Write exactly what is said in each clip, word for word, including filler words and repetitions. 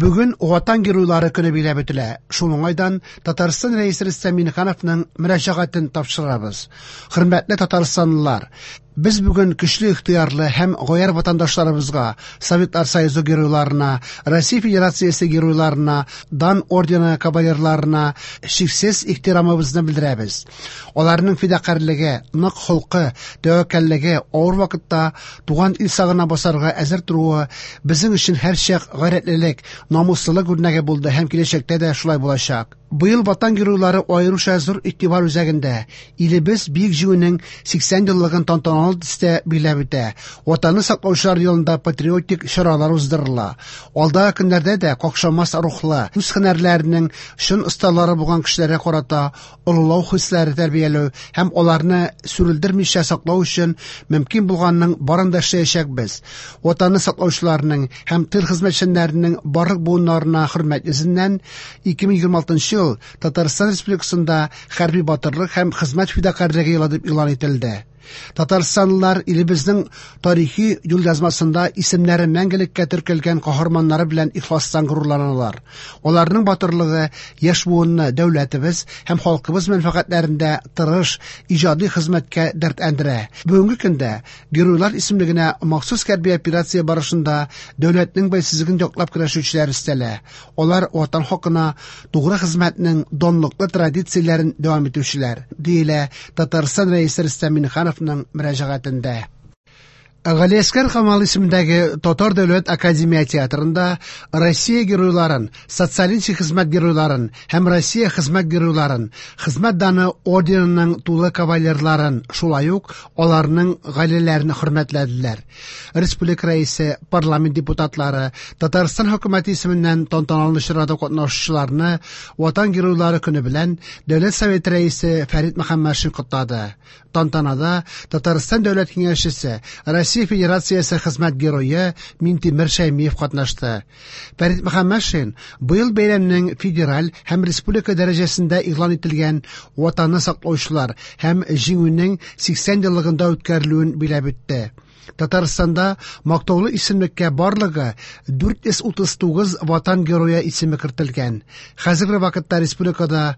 Бүген Ватан геройлары көне билгеләп үтелә. Шул уңайдан Татарстан Рәисе Рөстәм Миңнехановның мөрәҗәгатен тапшырабыз. Хөрмәтле татарстанлылар, без бүген көчле ихтыярлы һәм гаярь ватандашларыбызга, Советлар Союзы геройларына, Россия Федерациясе геройларына, Дан ордены кавалерларына чиксез ихтирамыбызны белдерәбез. Аларның фидакарьлеге, нык холкы, тәвәккәллеге, авыр вакытта туган ил сагына басарга әзер торуы безнең өчен һәрчак гайрәтлелек, намуслылык үрнәге булды һәм киләчәктә дә шулай булачак. Быел Ватан геройлары аеруча зур игътибар үзәгендә. Илебез Бөек Җиңүнең сиксән еллыгын тантаналы төстә билгеләп үтә. Ватанны саклаучылар елында патриотик чаралар уздырыла. Алдагы көннәрдә дә какшамас рухлы, үз һөнәрләренең чын осталары булган кешеләргә карата олылау хисләре тәрбияләү һәм аларны сүрелдермичә саклау өчен мөмкин булганның барын да эшләячәкбез. Ватанны саклаучыларның һәм тыл хезмәтчәннәренең барлык буыннарына хөрмәт йөзеннән ике мең егерме алтынчы ел Татарстан Республикасында хәрби батырлык һәм хезмәт фидакарьлеге елы дип игълан ителде. Татарстанлылар илебезнең тарихи юлъязмасында исемнәре мәңгелеккә теркәлгән каһарманнары белән ихластан горурланалар. Аларның батырлыгы яшь буынны дәүләтебез һәм халкыбыз мәнфәгатьләрендә тырыш, иҗади хезмәткә дәртләндерә. Бүгенге көндә геройлар исемлегенә махсус хәрби операция барышында дәүләтнең бәйсезлеген яклап көрәшүчеләр өстәлә. Алар ватан хакына тугры хезмәтнең данлыклы традицияләрен дәвам итүчеләр, диелә Татарстан Рәисе Рөстәм Миңнехановның мөрәҗәгатендә. Галиәсгар Камал исемендәге Татар дәүләт академия театрында Россия геройларын, социалистик хезмәт геройларын һәм Россия хезмәт геройларын, хезмәт даны орденының тулы кавалерларын, шулай ук аларның гаиләләрен хөрмәтләделәр. Республика рәисе, парламент депутатлары, Татарстан хөкүмәте исеменнән тантаналы чарада катнашучыларны Ватан геройлары көне белән Дәүләт Советы рәисе Фәрит Мөхәммәтшин котлады. Тантанада Татарстан Дәүләт Киңәшчесе, Россия Федерациясе хезмәт герое Минтимер Шәймиев катнашты. Фәрит Мөхәммәтшин быел бәйрәмнең федераль һәм республика дәрәҗәсендә игълан ителгән Ватанны саклаучылар һәм Җиңүнең сиксән еллыгында үткәрелүен билгеләп үтте. Татарстанда мактаулы исемлеккә барлыгы дүрт йөз утыз тугыз Ватан герое исеме кертелгән. Хәзерге вакытта республикада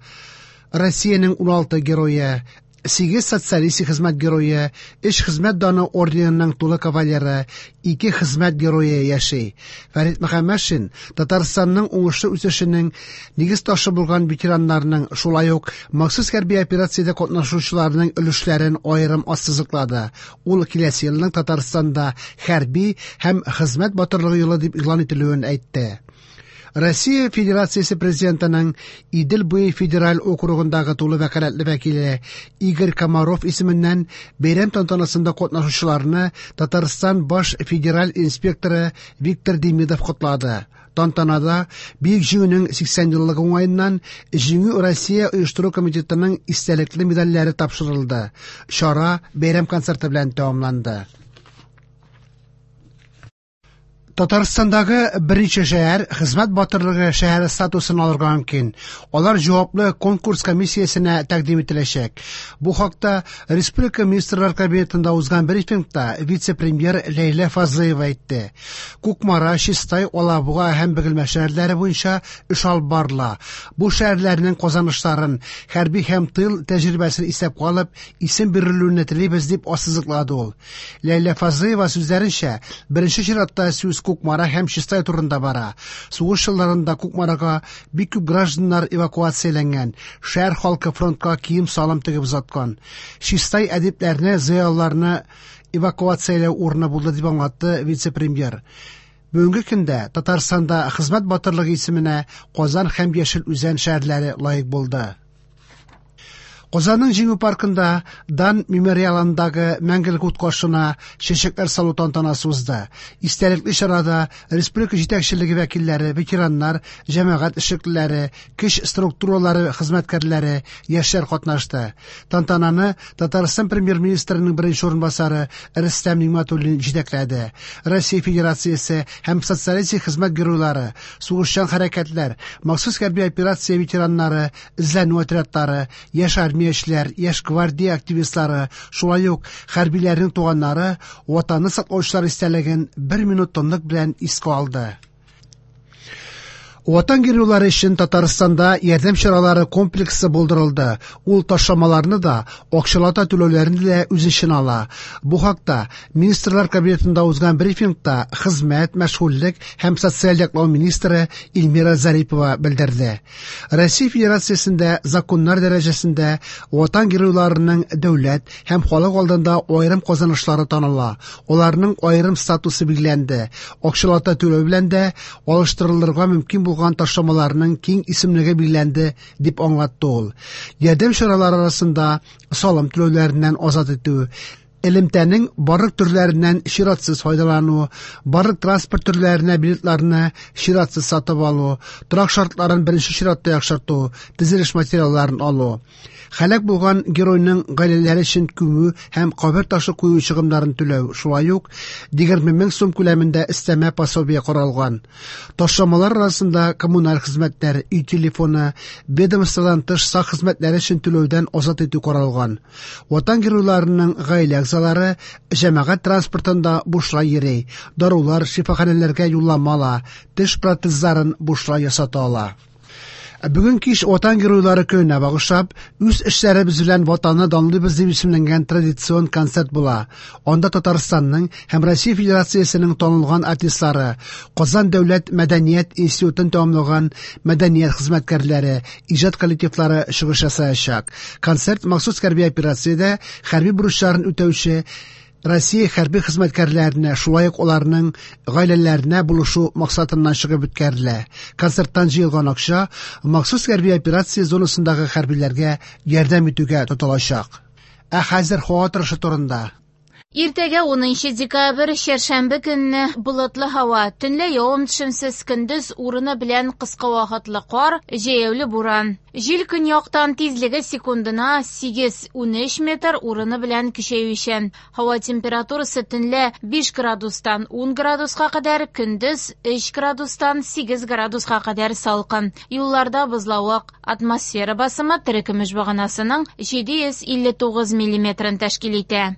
Россиянең уналты герое, сигез социалистик хезмәт герое, өч хезмәт даны орденының тулы кавалеры, ике хезмәт герое яши. Фәрит Мөхәммәтшин Татарстанның уңышлы үсешенең нигез ташы булган ветераннарның, шулай ук махсус хәрби операциядә катнашучыларның өлешләрен аерым ассызыклады. Ул киләсе елның Татарстанда хәрби һәм хезмәт батырлыгы елы дип игълан ителүен әйтте. Россия Федерациясе Президентының Идел буе федераль округындагы тулы вәкаләтле вәкиле Игорь Комаров исеменнән бәйрәм тантанасында катнашучыларны Татарстан баш федераль инспекторы Виктор Демидов котлады. Тантанада Бөек Җиңүнең сиксән еллыгы уңаеннан Җиңү Россия оештыру комитетының истәлекле медальләре тапшырылды. Чара бәйрәм концерты белән тәмамланды. Татарстандагы берничә шәһәр хезмәт батырлыгы шәһәре статусын алырга мөмкин. Алар җаваплы конкурс комиссиясенә тәкъдим ителәчәк. Бу хакта Республика Министрлар Кабинетында узган брифингта вице-премьер Ләйлә Фазлыева әйтте. Кукмара, Чистай, Алабуга һәм Бөгелмә шәһәрләре буенча эш алып барыла. Бу шәһәрләрнең казанышларын, хәрби һәм тыл тәҗрибәсен исәпкә алып, исем бирелүен телибез дип ассызыклады ул. Ләйлә Фазлыева сүзләренчә, беренче чиратта сүз Кукмара һәм Чистай турында бара. Сугыш елларында Кукмарага бик күп гражданнар эвакуацияләнгән, шәһәр халкы фронтка кием-салым тегеп озаткан. Чистай әдипләрне, зыялыларны эвакуацияләү урыны булды дип аңлатты вице-премьер. Бүгенге көндә Татарстанда хезмәт батырлыгы исеменә Казан һәм Яшел Үзән шәһәрләре лаек булды. Казанның Җиңү паркында Дан мемориалындагы мәңгелек ут каршына чәчәкләр салу тантанасы узды. Истәлекле чарада республика җитәкчелеге вәкилләре, ветераннар, җәмәгать эшлеклеләре, көч структуралары хезмәткәрләре, яшьләр катнашты. Тантананы Татарстан премьер-министрының беренче урынбасары Рөстәм Нигъмәтуллин җитәкләде. Россия Федерациясе һәм социалистик хезмәт геройлары, сугышчан хәрәкәтләр, махсус хәрби операция ветераннары, эзләнү отрядлары, яшь армия Яшьләр, яшь гвардия активистлары, шулай ук хәрбиләрнең туганнары Ватанны саклаучылар истәлеген бер минут тынлык белән искә алды. Ватан геройлары өчен Татарстанда ярдәм чаралары комплексы булдырылды. Ул ташламаларны да, акчалата түләүләрне дә үз эченә ала. Бу хакта Министрлар Кабинетында узган брифингта хезмәт, мәшгульлек һәм социаль яклау министры Эльмира Зарипова белдерде. Россия Федерациясендә законнар дәрәҗәсендә Ватан геройларының дәүләт һәм халык алдында аерым казанышлары таныла. Аларның аерым статусы билгеләнде. Акчалата түләү белән дә алыштырылырга мөмкин булган ташламаларның киң исемлеге билгеләнде, дип аңлатты ул. Ярдәм чаралары арасында салым түләүләреннән азат итү, элемтәнең барлык төрләреннән чиратсыз файдалану, барлык транспорт төрләренә билетларны чиратсыз сатып алу, торак шартларын беренче чиратта яхшырту, төзелеш материалларын алу. Һәлак булган геройның гаиләләре өчен күмү һәм кабер ташы кую чыгымнарын түләү, шулай ук егерме мең сум күләмендә өстәмә пособие каралган. Ташламалар арасында коммуналь хезмәтләр, өй телефоны, ведомстводан тыш сак хезмәтләре өчен түләүдән азат итү каралган. Ватан геройларының гаилә әгъзалары җәмәгать транспортында бушлай йөри, дарулар, шифаханәләргә юллама ала, теш протезларын бушлай ясата ала. Бүген кич Ватан геройлары көненә багышлап, үз эшләребез белән Ватанны данлыйбыз дип исемләнгән традицион концерт була. Анда Татарстанның һәм Россия Федерациясенең танылган артистлары, Казан дәүләт мәдәният институтын тәмамлаган мәдәният хезмәткәрләре, иҗат коллективлары чыгыш ясаячак. Концерт махсус хәрби операциядә хәрби бурычларын үтәүче Россия хәрби хезмәткәрләренә, шулай ук аларның гаиләләренә булышу максатыннан чыгып үткәрелә. Концерттан җыелган акча махсус хәрби операция зонасындагы хәрбиләргә ярдәм итүгә тотылачак. Ә хәзер һава торышы турында. Иртәгә унынчы декабрь, чәршәмбе көнне болытлы һава, төнлә явым-төшемсез, көндез урыны белән кыска вакытлы кар, җәяүле буран. Җил көньяктан, тизлеге секундына сигез-унөч метр, урыны белән көчәючән. Һава температурасы төнлә биш градустан ун градуска кадәр, көндез өч градустан сигез градуска кадәр салкын. Юлларда бозлавык. Атмосфера басымы терекөмеш баганасының җиде йөз илле тугыз миллиметрын тәшкил итә.